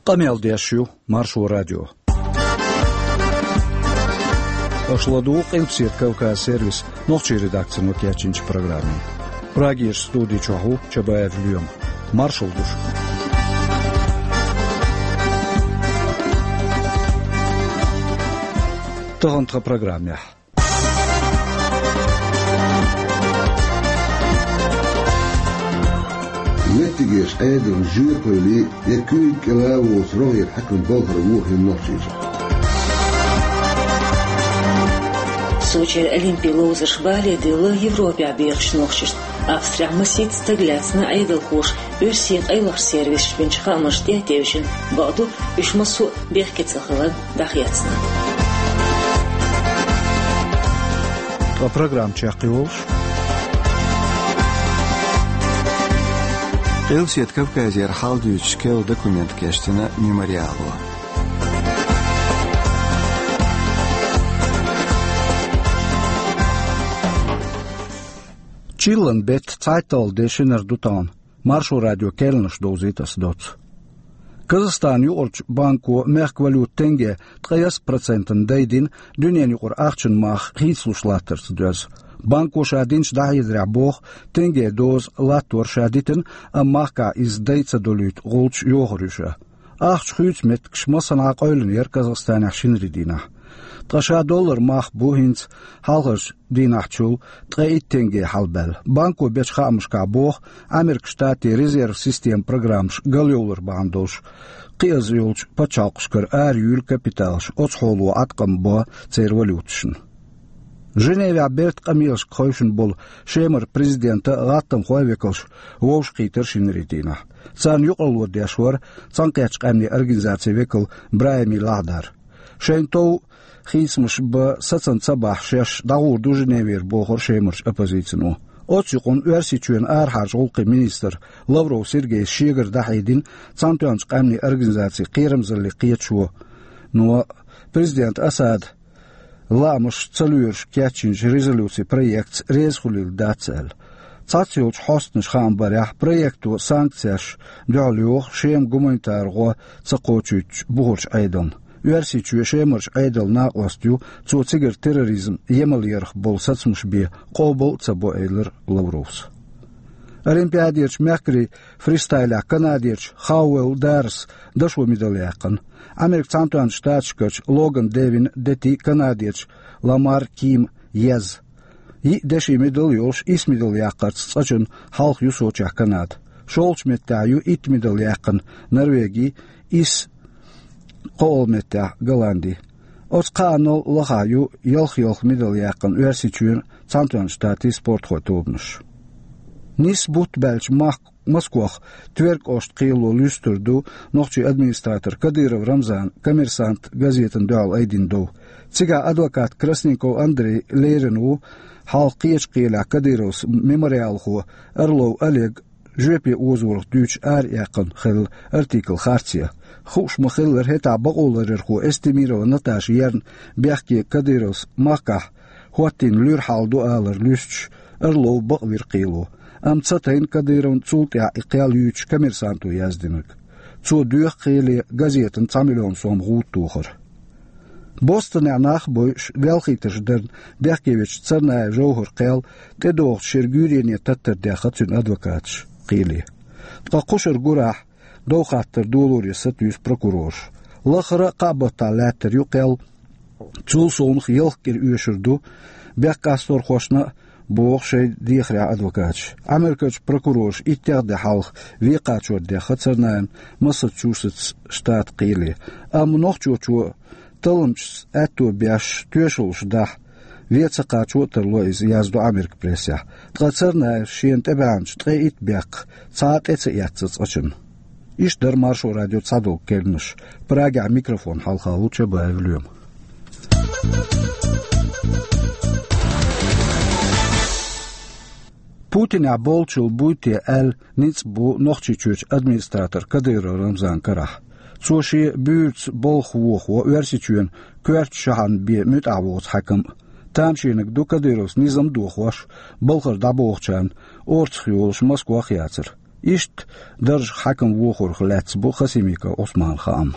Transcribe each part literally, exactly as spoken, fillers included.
Къамел деш ю Маршо радио. Аша ладугӀу Къилбаседа Кавказ сервисан нохчийн редакцино кечйинчу программе. Прагерчу студи чохь ву Чабаев Лоьма. Маршалла ду шуьга. Тахана тхан программехь. Меттигерчу Ӏедална жоьпалле я куьйга кӀела воцу рогӀера хьаькам балхара вохийна Нохчийчохь. Сочера Олимпе ловзарш бале делла Европехь бехачу нохчашна. Австрехь масийтта стаг лаьцна Ӏедалхоша оьрсийн къайлахчу сервисаша бинчу хаамашна тӀе а тевжина, бакъду, уьш массо а бехке ца хиларна дӀахецна. Ткъа программа чекхйолуш. Къилбаседа Кавказера хьал дуьйцуш керла документ кечдина Мемориало. Чиллан беттан цхьайтталгӀа де шинара ду тахана. Маршо радион керланаш довзуьйту аса доцца. Казахстанан юкъарчу банко мехкан валюта тенге ткъе исс процентана дайдина дуьненан юкъара ахчанан мах хийцалуш латтарца доьзна. Банко ша динчу дӀахьедарехь боху, тенге доза латтор ша дитина, амма махкахь иза дай ца долуьйту гӀулч йохур ю ша. Ахча хуьйцу меттигаш массанхьа къевлина яра Казахстанехь шинарин дийнахь. Ткъа ша доллар мах бу хӀинца хьалхарчу дийнахьчул ткъе итт тенге хьалабаьлла. Банко бечу хаамашкахь боху, Ӏамеркан Штатийн резерв системан программаш галйовлар бахьана долуш, кхиаза йолчу пачхьалкхашкара араюьйлу капиталаш, оцу хьоло Ӏаткъам бо церан валюташна. Женевехь бертан къамелашка хевшина болу Шемара президентан а, гӀаттамхойн а векалш вовшахкхийтира шинарин дийнахь. Царна юкъарло деш вара Цхьаьнакхеттачу Къаьмнийн Организацин векал БрахӀими Лахдар. Шайна тов хийцамаш бан сацам ца бахь шаьш, дӀагӀур ду Женевера, бохура Шемарчу оппозицино. Оццу юкъанна Оьрсийчоьнан арахьарчу гӀуллакхийн министра Лавров Сергейс шегара дӀахьедина Цхьаьнатоьхначу Къаьмнийн Организацин кхерамзалле кхеташо, но президент Асадан лаамаш ца лоьруш кечйинчу резолюцин проектаца реза хуьлийла дац аьлла. Цхьацца йолчу хьостанаша хаам барехь, проекто санкцешна дуьхьал йоху Шеман гуманитар гӀо ца кхочуьйтучу бухарчу Ӏедална. Оьрсийчоь Шемарчу Ӏедалан накъост ю, цо цигара терроризм емал ярх болу сацамаш бен къобал а ца бо, элира Лавровс. Олимпиадерчу мехкарийн фристайлехь Канадерчу Хауэлл Даррес дашо медаль яьккхина. Америкин Цхьаьнатоьхначу Штаташкарчу Логан Девин дети Канадерчу Ламар Ким еза. Йиъ деши медаль йолуш, исс медаль яккхарца цкъачунна хьалха ю Сочехь Канада. ШолгӀачу меттехь ю итт медаль яьккхина Норвеги, исс кхоалгӀа меттехь Голланди. Оцу кхаанал лахахь ю ялх-ялх медаль яьккхина Оьрсийчоьнан, Цхьаьнатоьхначу Штатийн спортхойн тобанаш. Нисса бутт баьлча мах-, Москох Тверь кӀоштан кхело луьстур ду нохчийн администратор Кадыров Рамзанан «Коммерсант» газетана дуьхьал айдина дов. Цигахь адвокат Красников Андрей лерина ву, хьалха кхечу кхелехь Кадыровс мемориалхо Орлов Олег жоьпе озорах дуьйцуш араяьккхина хилла артикл харц ян. Хууш ма-хиллара, хӀетахь бакъоларъярхо Эстемирова Наташа ерна бехке Кадыровс махкахь хӀоттийна луьра хьал ду алар луьстуш, Орлов бакъвира кхело. Амма ца тайна Кадыровна цул тӀаьхьа и кхел юьйцуш «Коммерсанто» яздинарг. Цо доьху кхеле газетана цхьа миллион сом гӀуда тохар. Бостонехь нах а бойуш, велхийтарш дарна бехке вечу Царнаев Жовхаран кхел тӀедогӀучу шеран гуьйрене таттар даьхна цуьнан адвокаташа кхеле. Ткъа кхушара гурахь дов хаттар долоре сатуьйсу прокурораш. Лахара а кхаа баттахь лаьттар ю кхел, цул совнаха ялх кӀира оьшур ду бехккасторхошна а, боху шайн дехарехь адвокаташа. Америкерчу прокурораша иттех де хьалха вен кхачор даьхна Царнаевн Массачусетс штатан кхеле. Амма нохчочо талламчашца аьтто беш тоьшаллаш дахь, вен ца кхачо а тарло иза, яздо Америкин прессехь. Ткъа Царнаевс шена тӀебаьхначу ткъе итт бехках цхьа а тӀе ца эцна цкъачунна. Иштта дара Маршо радион цхьадолу керланаш. Прагехь микрофон хьалха ву Чабаев Лоьма. Путинехь болчул буй те аьлла ницкъ бу Нохчийчоьнан администратор Кадыров Рамзанан карахь. Цо шен буьйрца балха вохо Оьрсийчоьнан коьртачу шахьарна бен муьтӀахь воцу хьаькам а. Тамашийнарг ду Кадыровс низам а дохош, балхара дӀабохучарна орцах йолуш Москох а яцар. Иштта даржах хьаькам вохорах лаьцна бу Хасимиков Ӏусманан хаам.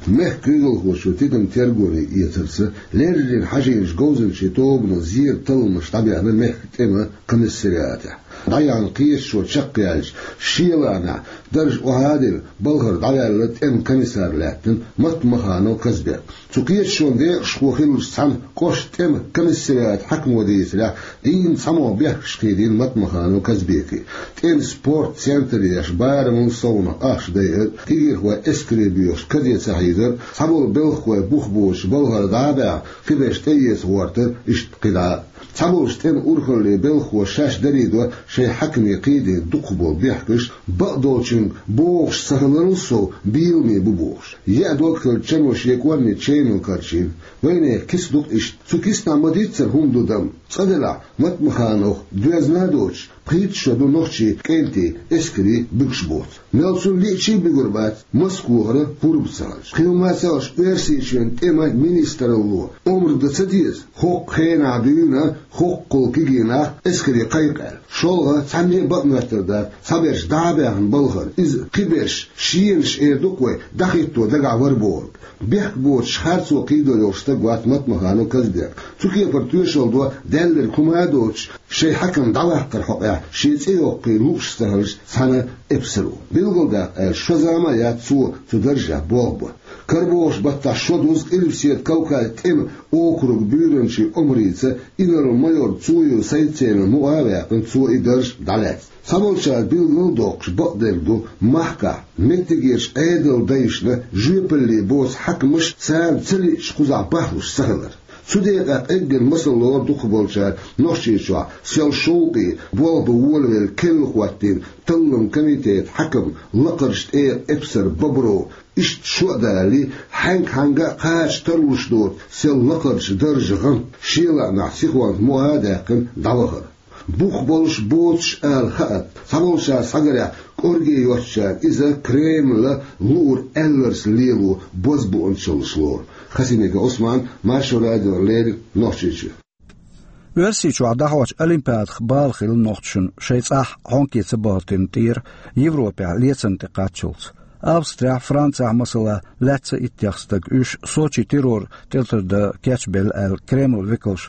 Мехкан куьйгалхочо тидам тергоне эцарца, леррина хьажийначу говзанчийн тобано зеран талламаш дӀабаьхна мехкан тӀеман комиссариатехь. ДӀаяьхьна кхеташо чекхъяьлча, шен лаамехь дарж охьадина балхара дӀаваьлла тӀеман комиссар лаьттина Матмаханов Казбек. Цу кхеташонан декъашхо хиллачу цхьана кӀоштан тӀеман комиссариатан хьаькамо дийцарехь, дийнна цхьамогӀа бехкаш кхийдина Матмаханов Казбека. ТӀеман спортан центр еш, барамал совнах ахча дайар, кегийрхой эскаре боьхуш каде ца хьийзар, цхьаболу белхахой бух боцуш балхара дӀа а баьхна, кхиберш тӀеэца гӀортар, иштта кхидӀа а. Цхьаболчу тӀеман урхаллин белхахоша шаьш дарийдо шайн хьаькаме кхийдина дукхахболу бехкаш, бакъдолчуьнга богӀуш ца хиларал сов, бийламе бу бохуш. Яа дог хилла чано шен кӀорни чемал карчийна. Вайнехан киса ду-кх иштта. Цу кисанахь ма-дийццара хӀума ду дама. Цкъа делахь, Матмахановх доьзна а доцуш, пхийтта шо ду нохчийн кӀентий эскаре буьгуш боцу. Мел цунна лиъча а буьгур бац, Москвахара пурба ца хилча. Кхин хӀума ца хилча, Оьрсийчоьнан тӀеман министралло омра дан ца деза, хӀокху хенахь дуьйна хӀоккхул кегий нах эскаре кхайкха аьлла. ШолгӀа цхьанне а бакъ моьттур дац, цхьаберш дӀа а баьхна балхара. Иза кхиберш, шенаш эр ду-кх вай, дӀахӀитто дагахь вара бохург. Бехк боцуш харцо кхийдо йолуш стаг вац Матмаханов Казбек. Цу кепара тоьшалла до, даьлларг хӀума а доцуш, шайн хьаькам дӀаваккхаран хьокъехь шен цӀе йоккхий лууш ца хилча цхьана эпсаро. Билгалдаккха аьлча, шо зама а яц цо цу даржехь болх бан. Карабохуш баттахь шо дузу Къилбаседа Кавказан тӀеман округан буьйранчин омрица инарла-майор Цуев Сайд-Селам мукъа а ваьккхина, цо и дарж дӀалаьцна. Цхьаболчара билгал а доккхуш, бакъдерг ду, махкахь меттигерчу Ӏедалан дайшна жоьпалле боцу хьаькамаш царна ца лиъча кхузахь бахлуш ца хилар. Цу декъехь къеггина масал лору дукхахболчара Нохчийчохь сел шовкъе болх бан волавелла, керла хӀоттийна талламан комитетан хьаькам, лакхарчу тӀегӀан эпсар Бобров. Иштта шо а далале, хьаьнга-хьаьнга а кхача тарлуш доцу сел лакхарчу даржан гӀант, шен лаамехь сихонца мукъа а даьккхина, дӀавахара. Бух болуш, боцуш ала хаьа, цхьаболчара схьагарехь, кӀорге йоцучарна иза Кремлан луург аьлларца лело бозбуунчаллаш лору. Хасимиков Ӏусман, Маршо радиона леррина, Нохчийчоь. Оьрсийчохь дӀахьочу Олимпиадах бала хилла нохчашна, шайн цӀахь хьонке ца бахийтина тӀера Европехь лецанна тӀе кхаччалц. Австрехь, Францехь, масала, лаьцна иттех стаг, уьш Сочин террор тӀелатар дан кечбелла аьлла, Кремлан векалш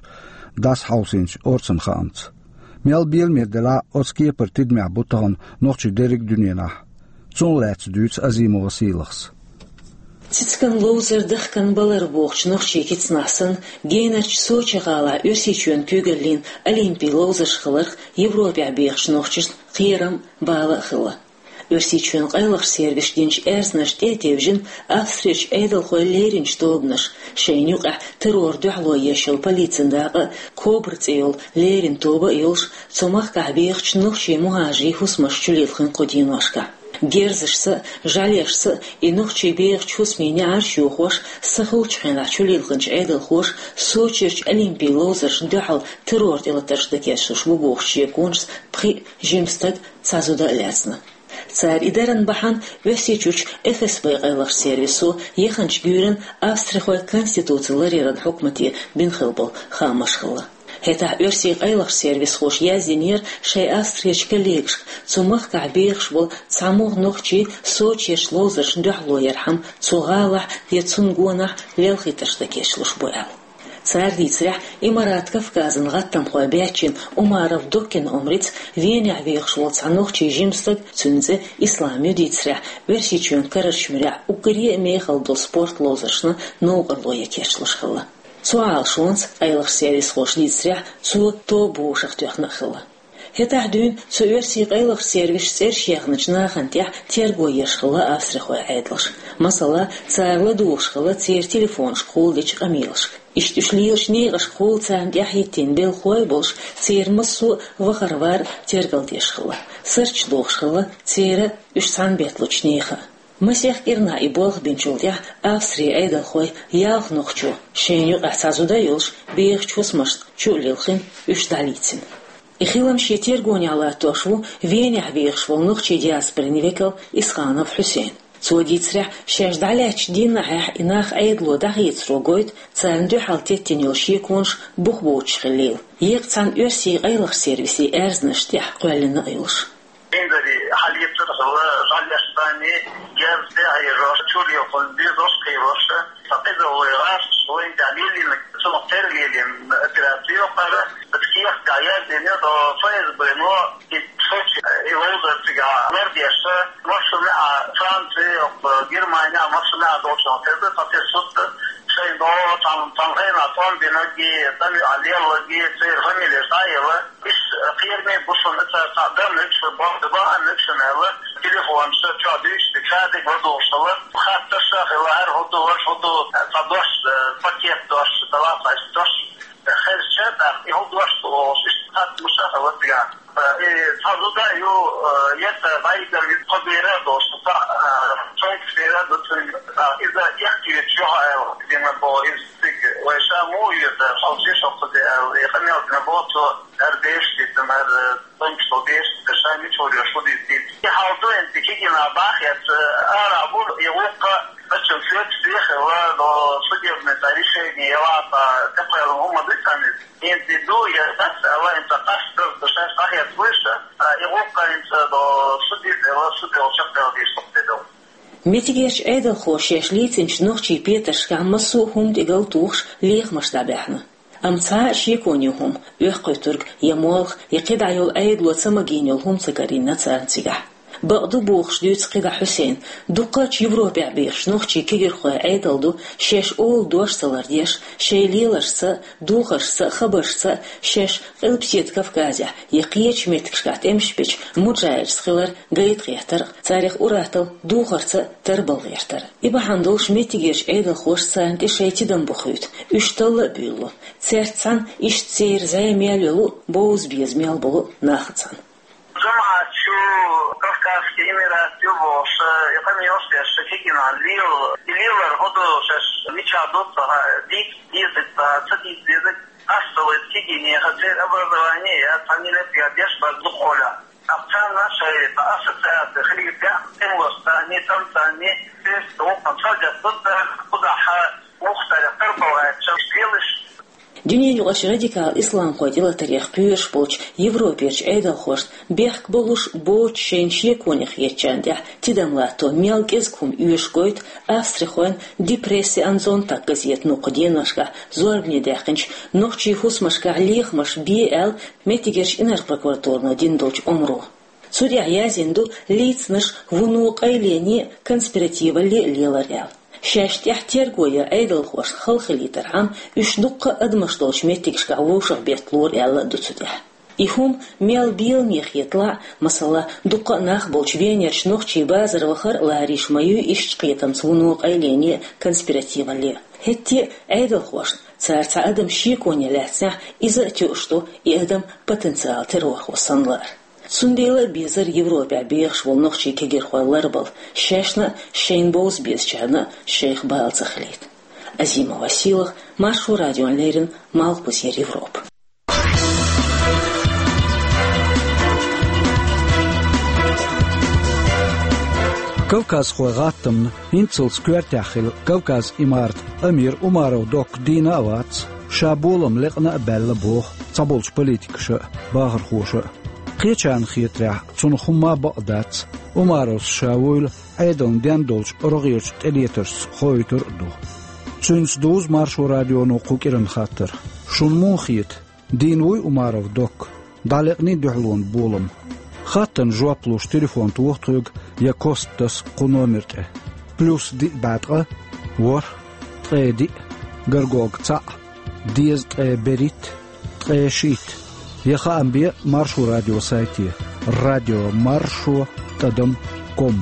дӀасахьовсийначу орцанан хаамца. Мел беламера делахь а, оцу кепара тидамехь бу тахана нохчий дерриг а дуьненахь. Цунах лаьцна дуьйцу Азимова Сийлахьс. Цицкан ловзар, дахкан балар бохучу нохчийн кицанахь санна, генарчу Сочи гӀалахь Оьрсийчоьнан куьйгаллин олимпийн ловзарш хиларх Европехь бехачу нохчашна кхерам а, бала а хилла. Оьрсийчоьнан къайлахчу сервисаша динчу аьрзнашна тӀе а тевжина, Австрерчу Ӏедалхойн леринчу тобанаша, шайна юкъахь террорна дуьхьало еш йолу полицин дакъа а, Кобра цӀе йолу леррина тоба а йолуш, цу махкахь бехачу нохчийн мухӀажарийн хӀусамаш чулилхина кху деношкахь. Герзашца а, жӀаьлешца а и нохчий бехачу хӀусамийн неӀарш йохош, сахиллачу хенахь чулилхинчу Ӏедалхоша Сочерчу олимпийн ловзаршна дуьхьал террор тӀелатарш дан кечлуш бу бохучу шеконашца пхиъ жима стаг, цхьа зуда а лаьцна. Цара и даран бахьана Оьрсийчуьрчу Эф Эс Б къайлахчу сервисо яханчу гуьйранна австрихойн конституци ларъяран хьукмате бина хилла болу хаамаш хилла. ХӀетахь оьрсийн къайлахчу сервисхоша яздинера шайн Австрерчу коллегашка, цу махкахь бехаш болу цхьамогӀа нохчи Сочерчу ловзаршна дуьхьало ярхьама цу гӀалахь я цунна гонахь лелхийтарш дан кечлуш бу аьлла. Цара дийцарехь, Имарат Кавказан гӀаттамхойн баьччина Умаров Доккина омрица Венехь вехаш волу цхьа нохчийн жима стаг, цуьнан цӀе Ислам ю дийцарехь, Оьрсийчоьнан карарчу муьрехь уггаре а мехала долу спорт ловзаршна новкъарло ян кечлуш хилла. Цу Ӏалашонца, къайлахчу сервисхоша дийцарехь, цо тоба вовшахтоьхна а хилла. ХӀетахь дуьйна цу оьрсийн къайлахчу сервисаша цӀераш яьхначу нахана тӀехь терго еш хилла австрихойн Ӏедалша. Масала, цара ладугӀуш хилла церан телефонашка кхолладечу къамелашка. Иштта уьш лелачу некъашка кхолла царна тӀаьхьахӀиттийна белхалой а болуш, церан массо а вахар-вар тергалдеш хилла. Сурташ дохуш хилла церан а, уьш цхьаьна бетталучу нехан а. Масех кӀирнахь и болх бинчул тӀаьхьа Австрин Ӏедалхой ялх нохчо, шайна юкъахь цхьа зуда а йолуш, бехачу хӀусамашна чу а лилхина, уьш дӀалийцина. И хилам шен тергонехь латтош ву Венехь вехаш волу нохчийн диаспорин векал Исханов Хьусейн. Цо дийцарехь, шаьш дӀалаьцначу дийнахьехь и нах Ӏедало дӀахецаро гойту, царна дуьхьал теттина йолу шеконаш бух боцуш хиллийла, еккъа цхьана оьрсийн къайлахчу сервисийн аьрзнашна тӀехь кхоьллина а йолуш. Инзаре хьал Цул жӀалеш санна, герз тӀехьежош, чулехун дезош кхийрош, цхьа къиза вай гӀаш, вайн тӀехь лелийна, цунах тера лелийна операци йоккхара, ткех тӀехь яздина до ФСБ-но, и Сочи, и Лондон цига лардеш, машина а Франция, Германия, машина а долчун терда, цхьа сутта, шайн до, там, там хейна, там биноги, там а лелаги, цер фамилия шайла, иш кхерме бушун, ца, ца, дам, икш, бо, ба, ан, икш, нела, телефон, ша, ча, диш, ча, дик, вадушала, хатта, ша, хила, ар, худу, ваш, худу, ца, дош, пакет, дош, талафаш, дош, херча, да, и худу, дош, хат, муша, хила, тига. Э, сразу даю, э, это, вайдер, из Кобейра, дош, та, э, Франкфера, да, из-за тех, где мы были, из Цик, вайша му, это, халчи, шо, э, я хамел, на бото, ар деш, там, ар, Тончо беш, кашами чорё шудис дит. И халду энти кигина бах, я ара бур, и лукка, значит, след всех, ла, до судебное решение, я ла, та, такое, ну, мы дыхание. Энти ду, я так, ла, энта каш, до шаш, так, я слышу, а, и лукка, энта до судит, ла, судил, чак, дал, диш, дал. Меттигерчу Ӏедалхоша шаьш лийцинчу нохчийн петаршкахь массо а хӀума тӀе гал тухуш, лехамаш дӀабаьхьна. Амма цхьа а шеконе хӀума, оьхкхуьйтург я молха, я кхидӀа йолу Ӏедало ца магийна йолу хӀума ца карийна царна цигахь. Бакъду бохуш дуьйцу кхидӀа Хьусейна, дуккхачу Европехь бехаш нохчийн кегирхойн Ӏедал ду, шаьш олу дош ца лардеш, шайн лелашца, духаршца, хабаршца, шаьш Къилбаседа Кавказехь я кхечу меттигашкахь тӀемаш бечу муджахӀидашца хилар гайта гӀертар, царах ур-атталла духарца тарбала гӀертар. И бахьана долуш меттигерчу Ӏедалхоша царна тӀе шайн тидам бохуьйту, уьш талла а буьйлу. Цаьрца цхьаьна иштта церан зӀе мел йолу, бовза беза мел болу нах а цхьаьна. Жамаат шу Кавказский Эмират ю бохуш, и къамел шаьш кегина лел, и лелар хӀун ду шаьш мичахь ду ца хаьа, дийца деза ца, ца дийца деза, ас ца вайца кегине хазер образование я, цхьа миллет я, деш база дукхоля. Ахчанна шайн ассоциация хилийта, тем лоста, не там, там, не здесь, вот там, садят, вот так, куда ха, ух, таря, тарбалгӀа, чам, белыш. Дуьненаюкъарчу радикал исламхойн тӀелатарех кхоьруш болчу Европерчу Ӏедалхошна бехк болуш боцуш шайна шеконе хетачарна тӀехь тидам латто мел кӀезиг хӀума оьшуш гойту австрихойн Die Presse am Sonntag газетано кху деношкахь зорбане даьккхинчу нохчийн хӀусамашкахь лехамаш бе аьлла меттигерчу инарла прокуратурано дина долчу омро. Цу тӀехь яздина ду лийцинарш вуно къайлене а, конспиративалле а лелар аьлла. Шаьш тӀехь терго ян Ӏедалхошна хала хилийтархьама, уьш дуккха а адамаш долчу меттигашкахь вовшахбетталора аьлла а ду цу тӀехь. И хӀума мел беламе хеталахь а, масала, дуккха а нах болчу Венерчу нохчийн базар вахар а ларийша ма ю иштта кхетамца вуно къайлене а, конспиративалле а. ХӀетте а Ӏедалхошна, цара цхьа адам шеконе лаьцнехь, иза а тоьуш ду и адам потенциал террорхо санна лаар. Цундела а безара Европехь бехаш волу нохчийн кегирхой ларбала, шаьшна а, шайна бовза безачарна а шайх бала ца хилийта. Азима Василах, Маршо радиона леррина, Малхбузера Европа. Кавказхойн гӀаттамна хӀинццалц коьртехь хилла Кавказ-Имарат амир Умаров Докка дийна а вац, ша болам лекъна а баьлла боху цхьаболчу политикаша а, бахархоша а. Кхечарна хетарехь, цунах хӀумма а бакъ дац, Умаровс ша вуйла Ӏедална ден долчу рогӀерчу тӀелетаршца хоуьйтур а ду. Цуьнца дузу Маршо радионо кху кӀиран хаттар. Шуна муха хета? Дийна вуй Умаров Докка? ДӀалекъний дуьхьалонан болам? Хаттарна жоп луш телефон тоха тхоьга я кост таса кху номер тӀе: плюс диъ бӀе ткъа, ворхӀ, ткъе диъ, гаргога цхьаъ, дезткъе берхӀитта, ткъе шийтта. Я хаам бе Маршо радион сайте: радио маршо тӀадам ком.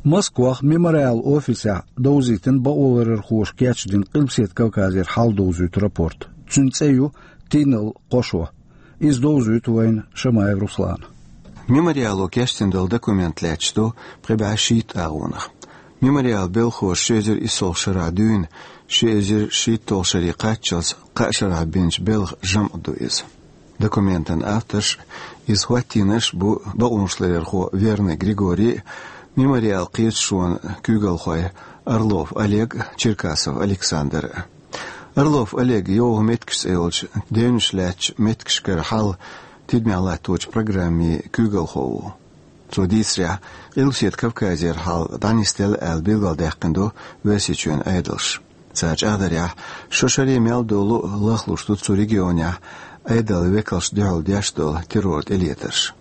Москвахь Мемориал офисехь довзийтина бакъоларъярхоша кечдина Къилбаседа Кавказера хьал довзуьйту рапорт. Цуьнан цӀе ю «Тийналла кхо шо». Иза довзуьйту вайна Шамаев Руслана. Мемориало кечдина долу документ лаьтташ ду пхи бӀе шийтта агӀонах. Мемориалан белхахоша ши эзар иссалгӀа шарахь дуьйна, ши эзар шийтталгӀа шаре кхаччалц кхаа шарахь бинчу белхан жамӀ ду иза. Документан авторш, иза хӀоттийнарш бу бакъонашларъярхо Верный Григорий а, Мемориалан кхеташонан куьйгалхой Орлов Олег, Черкасов Александр. Орлов Олег «Йовха меттигаш» цӀе йолча девнаш лаьттача меттигашкара хьал тидамехь латточу программин куьйгалхо ву. Цо дийцарехь, Къилбаседа Кавказера хьал дӀанисделла аьлла билгалдаьккхина ду Оьрсийчоьнан Ӏедалша. Цара чӀагӀдарехь, шо шаре мел долу а лахлуш ду цу регионехь Ӏедалан векалшна дуьхьал деш долу террор тӀелетарш.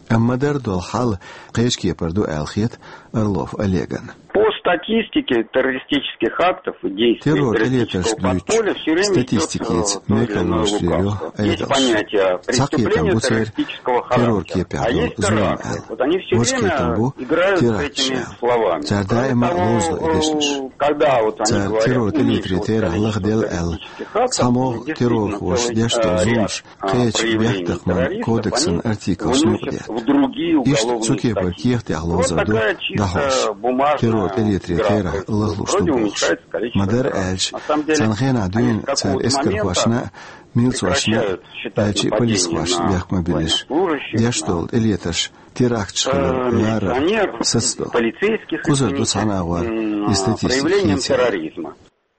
Амма ма-дарра долу хьал кхечу кепара ду аьлла хета Орлов Олегна. По статистике террористических актов и действий террор тӀелетарш террористического подполья всё время идёт, э, то или иное лукавство. Есть понятие преступления террористического характера, а есть теракты. Вот они всё время играют с этими словами. Кроме того, э, когда вот они говорят, ну, меньше вот количество террористических актов, действительно целый, э, ряд кхечу бехктакхаман кодексан артиклашна юкъадетта. Иштта цу кепара кехатех ловзар ду дӀахьош, террор тӀелетаран терахь лахлуш ду бохуш. Ма-дарра аьлча, цхьана хенахь дуьйна цара эскархошна а, милцошна а, аьлча а полисхошна а бехк ма биллинехь, деш долу тӀелетарш теракташ хилар ларар сацадо. Кхузара ду цхьана агӀор и статистика хийцаре.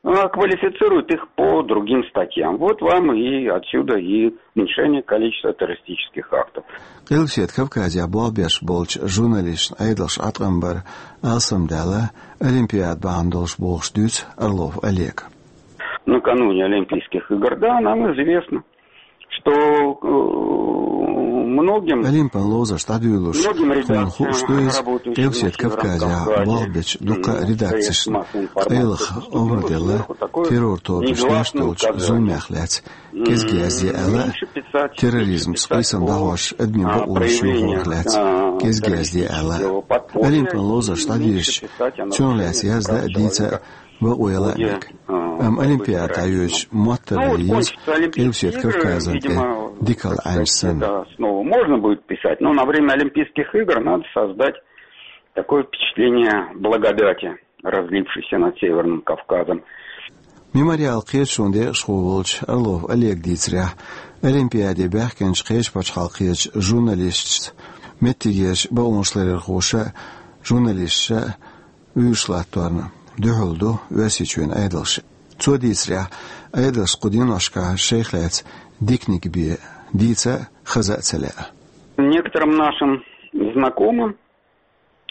А, квалифицируют их по другим статьям. Вот вам и отсюда и уменьшение количества террористических актов. Къилбаседа Кавказехь болх беш болчу журналисташна Ӏедалша Ӏаткъам бар алсамдаьлла, Олимпиада бахьана долуш бохуш дуьйцу Орлов Олега. Накануне Олимпийских игр, да, нам известно, что, э, многим... Олимпан ловзарш дӀадуьйлуш, тхуна хууш ду иза, Къилбаседа Кавказехь болх бечу дуккха а редакцешна къайлаха омра делла террор тобаша деш долчу зуламех лаьцна кӀезиг язде аьлла а, терроризмца къийсам дӀахьош адамийн бакъонаш юхорах лаьцна кӀезиг язде аьлла а. Олимпан ловзарш дӀадийшича, цунах лаьцна яздан а, дийца а бакъо яла а мега. Амма Олимпиада дӀайоьдучу моттаралла еза Къилбаседа Кавказана тӀе дикалла Ӏаьнча санна. Снова можно будет писать, но на время Олимпийских игр надо создать такое впечатление благодати, разлившейся над Северным Кавказом. Мемориал кхеташонан декъашхо волчу Орлов Олега дийцарехь, Олимпиаде баьхкинчу кхечу пачхьалкхерчу журналисташца, меттигерчу бакъонашларъярхоша а, журналисташа а вуьйш латторна дуьхьал ду Оьрсийчоьнан Ӏедалша. Цо дийцарехь, Ӏедалшна кху деношкахь шайх лаьцна диканиг бен дийца а, хаза а ца лаьа. Некоторым нашим знакомым,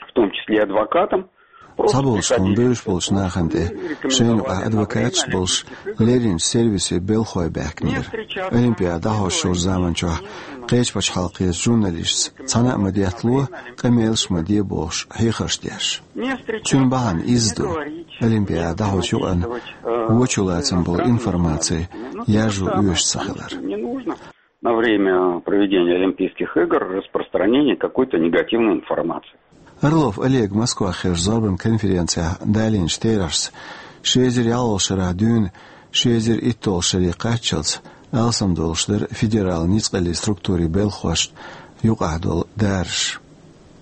в том числе адвокатам, просто приходили... Цхьаболчу тхуна бевзаш болчу нахана тӀе шайна юкъахь адвокаташ болуш лерринчу сервисийн белхахой баьхкинера, Олимпиада дӀахьош йолчу заманчохь кхечу пачхьалкхерчу журналисташца цхьана а ма деттало, къамелаш а ма де бохуш хьехарш деш. Цуьнан бахьана изза ду, Олимпиада дӀахьочу юкъана вочу лацам болу информаци яржо оьшуш ца хилар. На время проведения Олимпийских игр распространение какой-то негативной информации. Орлов Олега Москвахь хиллачу зорбан конференцехь далийначу терахьашца, ши эзар ялхолгӀачу шарахь дуьйна ши эзар иттолгӀачу шаре кхаччалц алсам долуш дара федералан ницкъаллин структурийн белхахошна юкъахь долу дараш.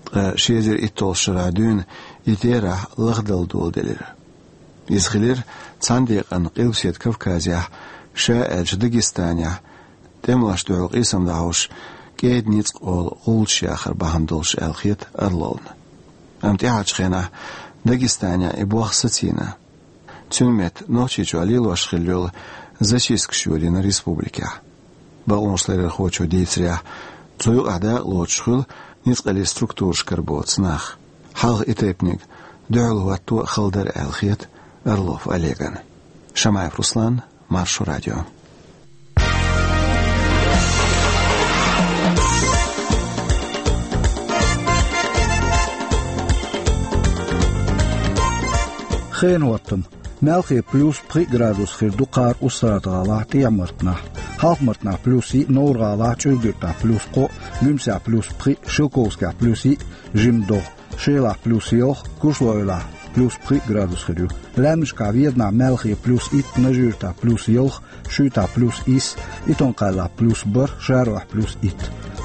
Ткъа ши эзар иттолгӀачу шарахь дуьйна и терахь лахдала доладелира. Иза хилира цхьана декъана Къилбаседа Кавказехь, ша аьлча Дагестанехь, тӀемалошна дуьхьал къийсам дӀахьош, кӀеда ницкъ олу гӀулчаш яхар бахьана долуш аьлла хета Орловна. Амма тӀаьхьарчу хенахь Дагестанехь и болх сацийна. Цуьнан метта Нохчийчохь лелош хилла йолу зачисткаш йолийна республикехь. Бакъонашларъярхочо дийцарехь, цу юкъахь дакъалоцуш хуьлу ницкъаллин структурашкара боцу нах. Хьалха и тайпаниг дуьхьал хӀотто а хала дара аьлла хета Орлов Олегана. Шамаев Руслан, Маршо радио. Хенан хӀоттам. Малхе плюс пхиъ градус хир ду кхара Устрада-ГӀалахь, ТӀехьа-Мартанахь. Хьалха-Мартанахь плюс йиъ, Новр-ГӀалахь, ЧӀуьргуьртахь плюс кхоъ, Гуьмсехь плюс пхиъ, Шелковскехь плюс йиъ, жимма догӀа. Шелахь плюс ялх, Кушлойолехь плюс пхиъ градус хир ю. Лаьмнашкахь Веданахь, Малхе плюс итт, Нажи-Юьртахь плюс ялх, Шуьйтахь плюс исс, Итон-Кхаьллахь плюс бархӀ, ШароӀехь плюс итт.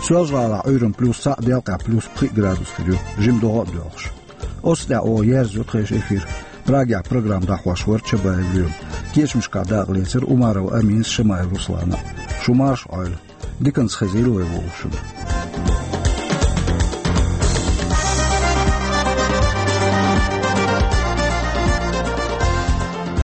Соьлжа-ГӀалахь Ӏуьйранна плюс цхьаъ, Делкъехь плюс пхиъ градус хир ю, жимма догӀа а доьлхуш. Оцу тӀехь оха ерзайо тхайн эфир. Прагехь программа дӀахьош вара Чабаев Лоьма. Кечамашкахь дакъа лецира Умаров Аминас, Шамаев Руслана. Шу марша Ӏойла. Диканца хезийла вай вовшашна.